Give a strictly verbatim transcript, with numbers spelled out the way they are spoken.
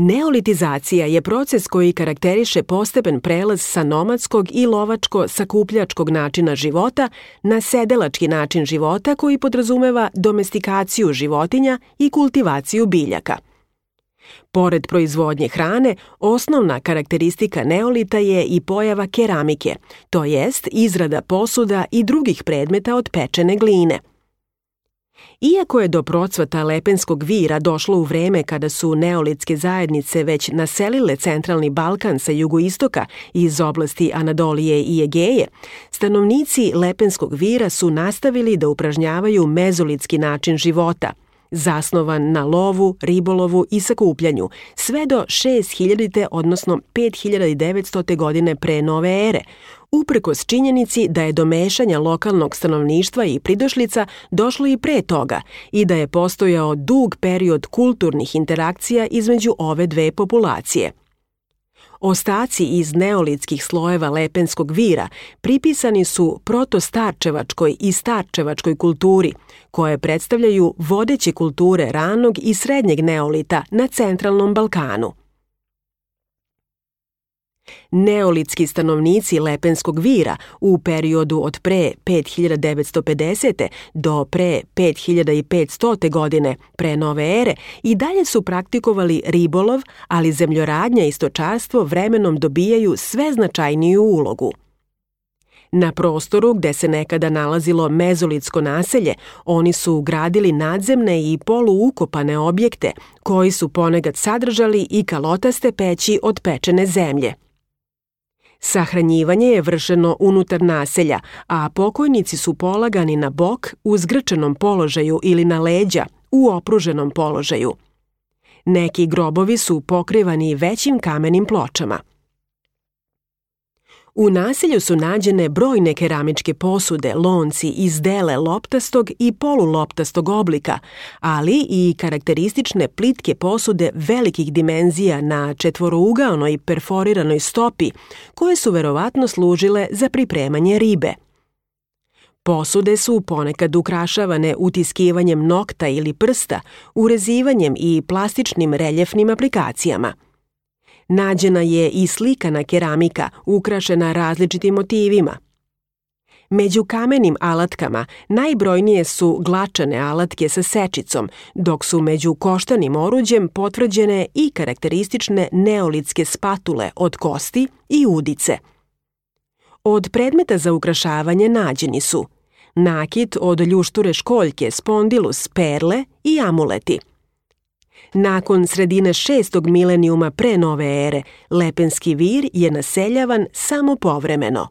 Neolitizacija je proces koji karakteriše postepen prelaz sa nomadskog i lovačko-sakupljačkog načina života na sedelački način života koji podrazumeva domestikaciju životinja i kultivaciju biljaka. Pored proizvodnje hrane, osnovna karakteristika neolita je i pojava keramike, to jest izrada posuda i drugih predmeta od pečene gline. Iako je do procvata Lepenskog vira došlo u vreme kada su neolitske zajednice već naselile centralni Balkan sa jugoistoka iz oblasti Anadolije i Egeje, stanovnici Lepenskog vira su nastavili da upražnjavaju mezolitski način života, zasnovan na lovu, ribolovu i sakupljanju, sve do šest hiljadite odnosno pet hiljada devetstote godine pre nove ere, uprkos činjenici da je do mešanja lokalnog stanovništva i pridošlica došlo i pre toga i da je postojao dug period kulturnih interakcija između ove dve populacije. Ostaci iz neolitskih slojeva Lepenskog vira pripisani su protostarčevačkoj i starčevačkoj kulturi, koje predstavljaju vodeće kulture ranog i srednjeg neolita na centralnom Balkanu. Neolitski stanovnici Lepenskog vira u periodu od pre pet hiljada devetsto pedesete. do pre pet hiljada petstote. godine pre nove ere i dalje su praktikovali ribolov, ali zemljoradnja i stočarstvo vremenom dobijaju sve značajniju ulogu. Na prostoru gde se nekada nalazilo mezolitsko naselje, oni su gradili nadzemne i poluukopane objekte, koji su ponekad sadržali i kalotaste peći od pečene zemlje. Sahranjivanje je vršeno unutar naselja, a pokojnici su polagani na bok u zgrčenom položaju ili na leđa u opruženom položaju. Neki grobovi su pokrivani većim kamenim pločama. U naselju su nađene brojne keramičke posude, lonci iz dele loptastog i poluloptastog oblika, ali i karakteristične plitke posude velikih dimenzija na četvorougaonoj perforiranoj stopi, koje su verovatno služile za pripremanje ribe. Posude su ponekad ukrašavane utiskivanjem nokta ili prsta, urezivanjem i plastičnim reljefnim aplikacijama. Nađena je i slikana keramika ukrašena različitim motivima. Među kamenim alatkama najbrojnije su glačane alatke sa sečicom, dok su među koštanim oruđem potvrđene i karakteristične neolitske spatule od kosti i udice. Od predmeta za ukrašavanje nađeni su nakit od ljušture školjke, spondilus, perle i amuleti. Nakon sredine šestog milenijuma pre nove ere, Lepenski vir je naseljavan samo povremeno.